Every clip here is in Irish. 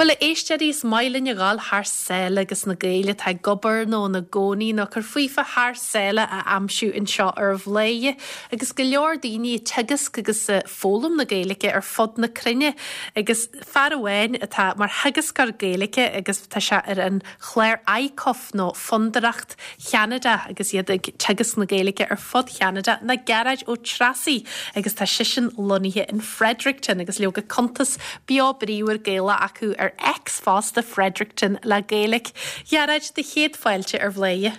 Bhuel, a éisteoirí, is maith linn a ghabháil thar sáile agus na Gaeil atá ag obair nó ina gcónaí nó ag cur faofa thar sáile a aimsiú anseo ar Bhladhaire agus go leor daoine ag teagasc agus ag foghlaim na Gaeilge ar fud na cruinne agus fear amháin atá mar theagascóir Gaeilge agus tá sé ar an chlár ICUF nó Fondúireacht Cheanada agus iad ag teagasc na Gaeilge ar fud Cheanada ná Gearóid Ó Treasaigh agus tá seisean lonnaithe in Fredericton agus leoga cuntas beo bríomhar Gaelach acu ar X fosta, Fredericton le Gaeilge. Ghearóid, do chéad fáilte ar Bhladhaire.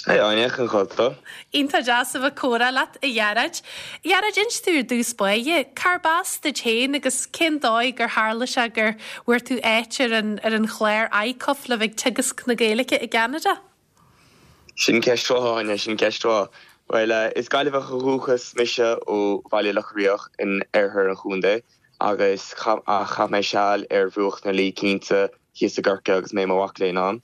Hey Áine, cén chaoi a bhfuil tú? Iontach deas a bheith ag comhrá leat, a Ghearóid. Ghearóid, inis dúinn ar dtús báire, cárb as duit féin agus cén dóigh gur tharla sé gur bhfuair tú áit ar an ar an chlár ICUF le bheith ag teagasc na Gaeilge i gCeanada? Sin ceist mhaith, Áine, sin ceist mhaith. Bhuel, is Gaillimheach ó dhúchas mise ó Bhaile Locha Riach in oirthear an chontae agus ach chaith mé seal ar bhruach na Laoi cinnte thíos i gCorcaigh agus mé i mo mhac léinn ann.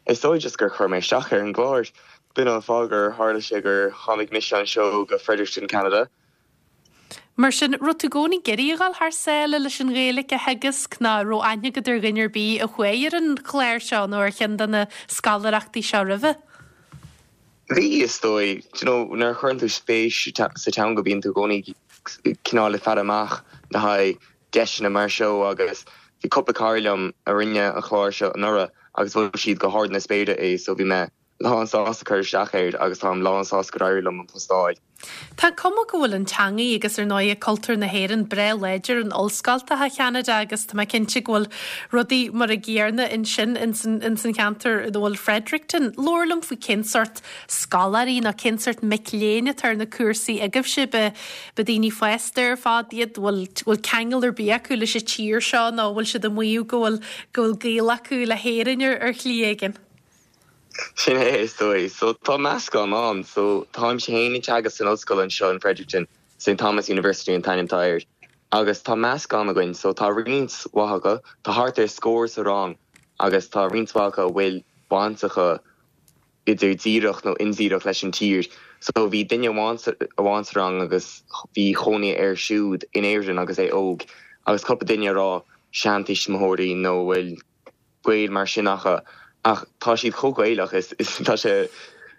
Is dóigh just gur chuir mé isteach ar an gclár. B'in an fáth gur tharla sé gur tháinig mise anseo go Fredericton, Ceanada. Mar sin, raibh tú i gcónaí ag iarraidh a dhul thar sáile leis an Ghaeilge a theagasc nó raibh aithne agat ar dhuine ar bith a chuaigh ar an chlár seo nó ar cheann de na scoláireachtaí seo roimhe? Bhí, is dóigh. Do you know, nuair a chuireann tú spéis sa teanga bíonn tú i gcónaí cineál ag faire amach le haghaidh deiseanna mar seo agus bhí cúpla cara liom a rinne an chlár seo anuraidh agus mhol siad go hard na spéire é so bhí mé lán sásta cur isteach air agus táim lán sásta gur éirigh liom an post a fháil. Tá cuma go bhfuil an teangaidh agus ar ndóighe cultúr na hÉireann breá láidir in ollscoltacha Cheanada agus tá mé cinnte go bhfuil rudaí mar a gcéarna ansin ins an cheantar ina bhfuil Fredericton. Labhair liom faoi cén sórt scoláirí nó cén sórt mic léinn atá ar na cúrsaí agaibhse. Ba daoine fásta ar fad iad, bhfuil bhfuil ceangal ar bith acu leis an tír seo nó bhfuil siad ag maíomh go bhfuil go bhfuil gaol acu le hÉirinn ar ar shlí éigin? Sin é is dóigh. So tá meascán ann. So táimse féin ag teagasc san ollscoil anseo in Fredericton, St Thomas University an t-ainm atá air. Agus tá meascán againn. So tá roinnt mhaith acu, tá thart ar scór sa rang agus tá roinnt mhaith acu a bhfuil baint acu idir díreach nó indíreach leis an tír. So bhí duine amháin sa rang agus bhí cónaí air siúd in Éirinn agus é óg agus cúpla duine a raibh seantuismitheoirí nó a bhfuil gaol mar sin acu ach tá siad chomh Gaelach is tá sé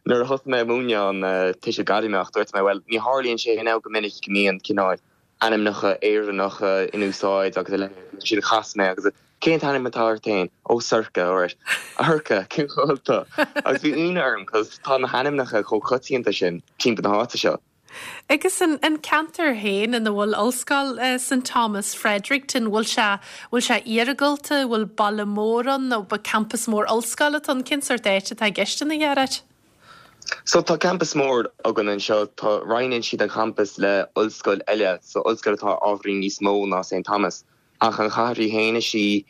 nuair a thosaigh mé ag múineadh an tuiseal gairmeach dúirt mé bhuel ní tharlaíonn sé now go minic go mbíonn cineál ainmneacha Éireannacha in úsáid agus a leithéid. Ansin chas mé agus cén t-ainm atá ort féin? Ó Sorcha, alright. A Shorcha, cén chaoi a bhfuil tú? Agus bhí ionadh orm cos tá na hainmneacha chomh coitianta sin timpeall na háite seo. Agus an an ceantar féin ina bhfuil Ollscoil St Thomas, Fredericton, bhfuil sé, bhfuil sé iargúlta, bhfuil baile mór ann nó ba campas mór ollscoile atá ann? Cén sórt áit atá i gceist ann a Ghearóid? So tá campas mór againn anseo, tá, roinneann siad an campas le ollscoil eile, so ollscoil atá ábhairín níos mó ná St Thomas, ach an chathair í féin is í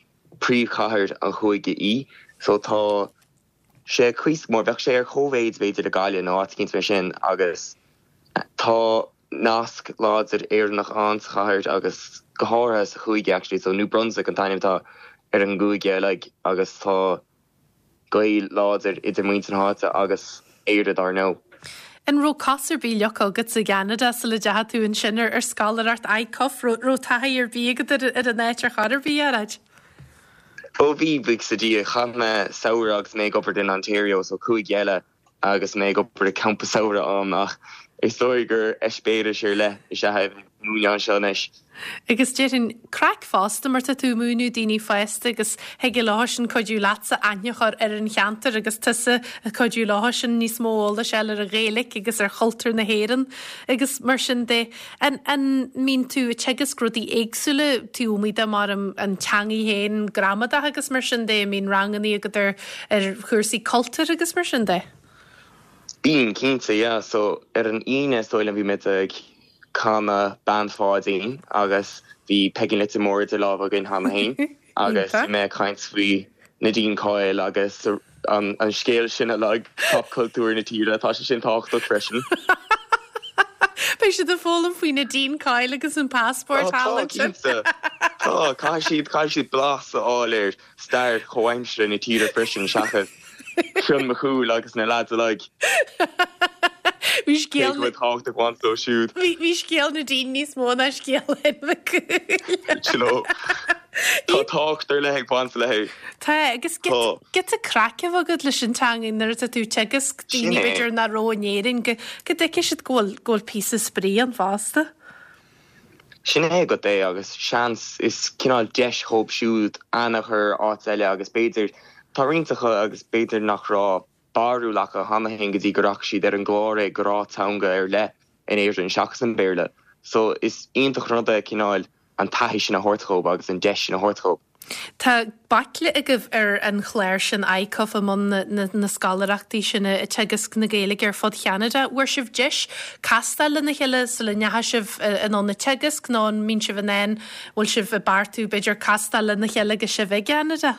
príomhchathair an chúige í, so tá sé cuíosach mór, bheadh sé ar chóimhéid b'fhéidir le Gaillimh nó áit eicínt mar sin agus tá nasc láidir Éireannach ann sa chathair agus go háirithe sa chúige actually, so New Brunswick an t-ainm atá ar an gcúige uilig agus tá. gaol láidir idir muintir na háite agus Éire dár ndóigh. An raibh cos ar bith leagtha agat i gCeanada sula dteachaigh tú ansin ar scoláireacht ICUF? Raibh taithí ar bith agat ar an áit ar chor ar bith, a Ghearóid? Ó bhí, buíochas le Dia. Chaith mé samhradh agus mé ag obair in Ontario, so cúige eile agus mé ag obair i gcampa samhraidh ann ach is dóigh gur eispéireas ar leith is ea é a bheith ag múineadh anseo anois. Agus déarfainn, craic fosta mar tá tú ag múineadh daoine fásta agus thig leosan cuidiú leatsa aithne a chur ar an cheantar agus tusa ag cuidiú leosan níos mó eolais a fháil ar an Ghaeilge agus ar chultúr na hÉireann agus mar sin de. An an mbíonn tú ag teagasc rudaí éagsúla taobh amuigh de mar an an teangaidh féin, gramadach agus mar sin de, an mbíonn rangannaí agat ar ar chúrsaí cultúir agus mar sin de? Bíonn, cinnte, yeah. So ar an Aoine is dóigh liom bhí muid ag canadh Bean Pháidín agus bhí Peigín Leitir Móir idir lámha againn cheana féin agus bhí mé ag caint faoi Nadine Coyle agus an scéal sin uilig, popchultúr na tíre, tá sé sin tábhachtach freisin. Beidh siad ag foghlaim faoi Nadine Coyle agus an passport thall ansin. Tá, cinnte. Tá, caithfidh siad, caithfidh siad blas a fháil ar stair chomhaimseartha na tíre freisin seachas Fionn Mac Cumhaill agus na lads uilig. Bhí scéal. Cé go bhfuil tábhacht ag baint leo siúd. Bhí scéal Nadine níos mó ná scéal Fhinn Mhic Cumhaill. You know. Tá tábhacht ar leith ag baint léi. Tá, agus giota craic a bheith agat leis an teanga nuair atá tú ag teagasc daoine b'fhéidir nach raibh in Éirinn go dtuigfidh siad go bhfuil go bhfuil píosa spraoi ann fosta. Sin é agat é agus seans is cineál deis dhóibh siúd aithne a chur ar áit eile agus b'fhéidir tá roinnt acu agus b'fhéidir nach raibh barúil acu cheana féin go dtí go rachaidh siad ar an gclár é go raibh teanga ar leith in Éirinn seachas an Béarla. So is iontach an rud é cineál an taithí sin a thabhairt dhóibh agus an deis sin a thabhairt dhóibh. Tá baicle agaibh ar an chlár sin ICUF i mbun na scoláireachtaí sin ag teagasc na Gaeilge ar fud Cheanada. Bhfuair sibh deis castáil lena chéile sula ndeachaigh sibh anonn ag teagasc nó an mbíonn sibh in ann, bhfuil sibh ag beartú b'fhéidir castáil lena chéile agus sibh i gCeanada?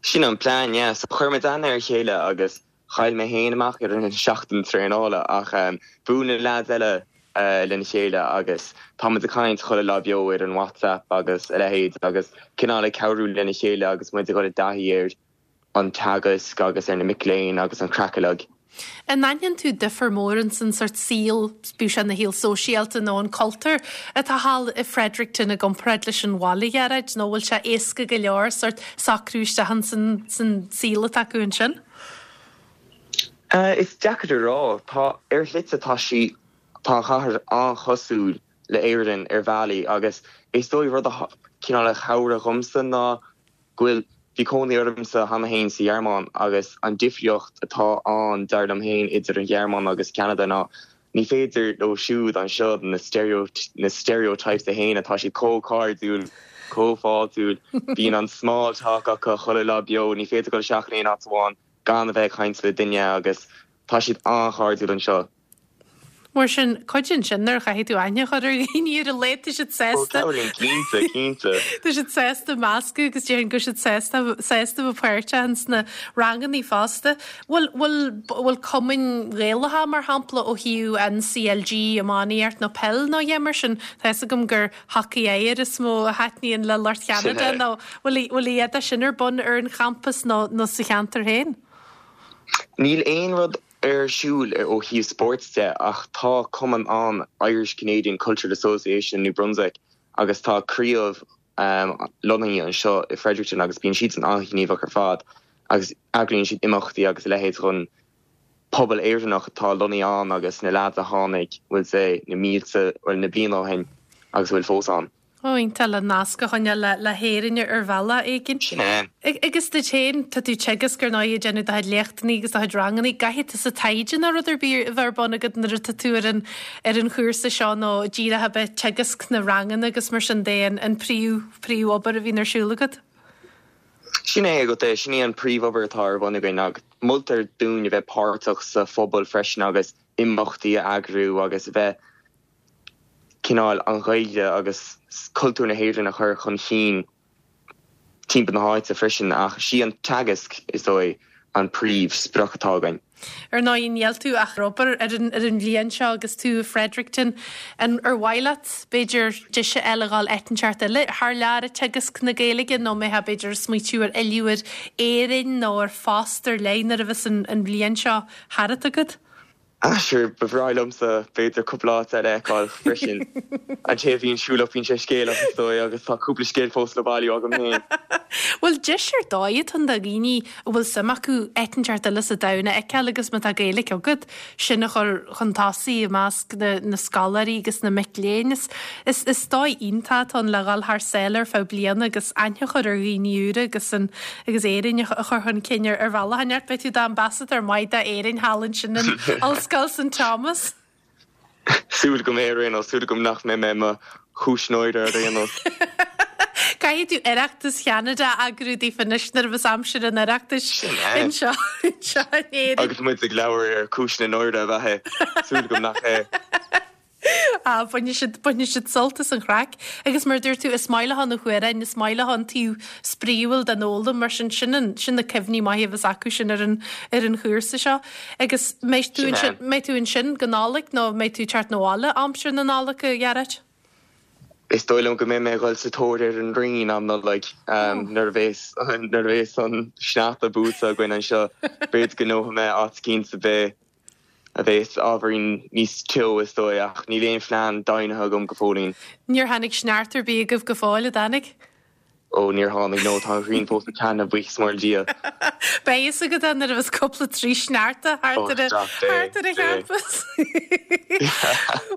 Sin an plean, yeah. So chuir muid aithne ar a chéile agus chaill mé féin amach ar an seachtain traenála ach bhuail na leaids eile lena chéile agus tá muid ag caint chuile lá beo ar an WhatsApp agus a leithéid agus cineál ag cabhrú lena chéile agus muid ag dul i dtaithí ar an teagasc agus ar na mic léinn agus an craic uilig. An aithníonn tú difear mór ins an sort saol, bíodh sé ina shaol sóisialta nó an cultúr atá thall i Fredericton i gcomparáid leis an bhaile, a Ghearóid, nó bhfuil sé éasca go leor sort socrú isteach ins an san saol atá acu ansin? Is deacair a rá. Tá, ar shlite tá sí, tá an chathair an-chosúil le Éirinn ar bhealaí agus is dóigh rud a cineál a chabhraigh dhomsa ná go bhfuil, bhí cónaí ormsa cheana féin sa Ghearmáin agus an difríocht atá ann, dar liom féin, idir an Ghearmáin agus Ceanada ná ní féidir leo siúd anseo na na stereotypes a shéanadh, tá siad chomh cairdiúil, chomh fáiltiúil, bíonn an small talk acu chuile lá beo, ní féidir dul isteach in aon áit amháin gan a bheith ag caint le duine agus tá siad an-chairdiúil anseo. Mar sin, cuidíonn sin nuair a chaithfidh tú aithne a chur ar dhaoine ar a laghad, tá siad sásta. Ó, cabhraíonn, cinnte, cinnte. Tá siad sásta meascadh agus déarfainn go bhfuil siad sásta, sásta bheith páirteach ins na rangannaí fosta. Bhfuil, bhfuil, bhfuil cumainn Ghaelacha, mar shampla, ó thaobh an CLG, iománaíocht nó peil nó a dhath mar sin, tá fhios agam gur hocaí oighir is mó a thaitníonn le lucht Cheanada nó bhfuil, bhfuil a dhath de sin ar bun ar an champas nó, nó sa cheantar féin? Níl aon rud ar siúl ó thaobh spóirt de ach tá cumann ann, Irish Canadian Cultural Association in New Brunswick, agus tá craobh lonnaithe anseo i Fredericton agus bíonn siadsan an-ghníomhach ar fad agus eagraíonn siad imeachtaí agus a leithéid chun pobal Éireannach atá lonnaithe ann agus na leaids a tháinig, bhfuil 's a'd, na mílte, bhuel na blianta ó shin agus a bhfuil fós ann. Ó, iontach le nasc a choinneáil le hÉirinn ar bhealach éigin. Sin é. Agus duit féin, tá tú ag teagasc ar ndóigh ag déanamh do chuid léachtanna agus do chuid ranganna. Caithfidh tusa taighde nó rud ar bith a bheith ar bun agat nuair atá tú ar an ar an chúrsa seo nó díreach a bheith ag teagasc na ranganna agus mar sin de an an príomh príomhobair a bhíonn ar siúl agat? Sin é agat é, sin í an príomhobair atá ar bun againn ach moltar dúinn a bheith páirteach sa phobal freisin agus imeachtaí a eagrú agus a bheith cineál an Ghaeilge agus cultúr na hÉireann a chur chun chinn timpeall na háite freisin ach sí an teagasc, is dóigh, an príomh sprioc atá againn. Ar ndóigh, níl tú ach ag obair ar an ar an bhliain seo agus tú i Fredericton. An ar mhaith leat, b'fhéidir, deis a fháil a dhul áit inteacht eile thar lear ag teagasc na Gaeilge nó an mbeifeá b'fhéidir ag smaoitiú ar fhilleadh ar Éirinn nó ar phost ar leith nuair a bheas an an bhliain seo thart agat? Ah sure, ba bhreá liomsa b'fhéidir cúpla áit eile a fheiceáil freisin. An té a bhíonn siúlach bíonn sé scéalach is dóigh agus tá cúpla scéal fós le bailiú agam féin. Bhuel deis ar dóigh atá ann do dhaoine a bhfuil suim acu áit inteacht eile sa domhan a fheiceáil agus má tá Gaeilge agat, sin a chur chun tosaigh i measc na na scoláirí agus na mic léinn. Is is is dóigh iontach atá ann le dhul thar sáile ar feadh bliana agus aithne a chur ar dhaoine úra agus an agus Éirinn a chur chun cinn ar bhealach inteacht. Beidh tú i d'ambasadóir maith d'Éirinn thall ansin in Ollscoil St Thomas. Súil agam é ar aon nós, súil agam nach mbeidh mé i mo chúis náire ar aon nós. Caithfidh tú Oireachtas Cheanada a eagrú daofa anois nuair a bheas aimsir an Oireachtais anseo anseo in Éirinn. Agus muid ag labhairt ar cúis na náire ab ea é? Súil agam nach é. Ah, bainfidh siad, bainfidh siad sult as an chraic. Agus mar a dúirt tú, is maith leo na hamhráin, is maith leo an taobh spraíúil den fhoghlaim, mar sin, sin an, sin na cuimhní maithe a bheas acu sin ar an, ar an chúrsa seo. Agus mbeidh tú ansin, mbeidh tú ansin go Nollaig nó mbeidh tú ag teacht 'na bhaile aimsir na Nollag, a Ghearóid? Is dóigh liom go mbeidh mé ag dul sa tóir ar an Rinn am Nollaig, nuair a bhéas, nuair a bhéas an sneachta buailte againn anseo, b'fhéidir go ngnóthóidh mé áit eicínt a bheidh a bheas ábhairín níos teo is dóigh, ach níl aon phlean deimhnithe agam go fóillín. Níor tháinig sneachta ar bith agaibh go fóill, a dtáinig? Ó, níor tháinig, no, tá an ghrian fós ag taitneamh, buíochas mór le Dia. Beidh fhios agat é nuair a bheas cúpla troigh sneachta thart ar an thart ar an champas.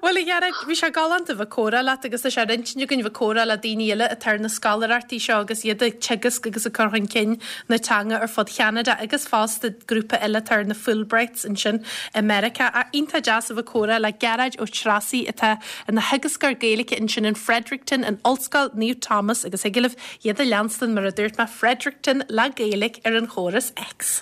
Bhuel, a Ghearóid, bhí sé galánta bheith ag comhrá leat agus tá sé ar intinn againn bheith ag comhrá le daoine eile atá ar na scoláireachtaí seo agus iad ag teagasc agus ag cur chun cinn na teanga ar fud Cheanada agus fosta grúpa eile atá ar na Fulbrights ansin i Meiriceá. Ach iontach deas a bheith ag comhrá le Gearóid Ó Treasaigh atá ina theagascóir Gaeilge ansin in Fredericton in Ollscoil Naomh Thomas agus thig libh iad a leanstan mar a dúirt mé Fredericton le Gaeilge ar an chóras X.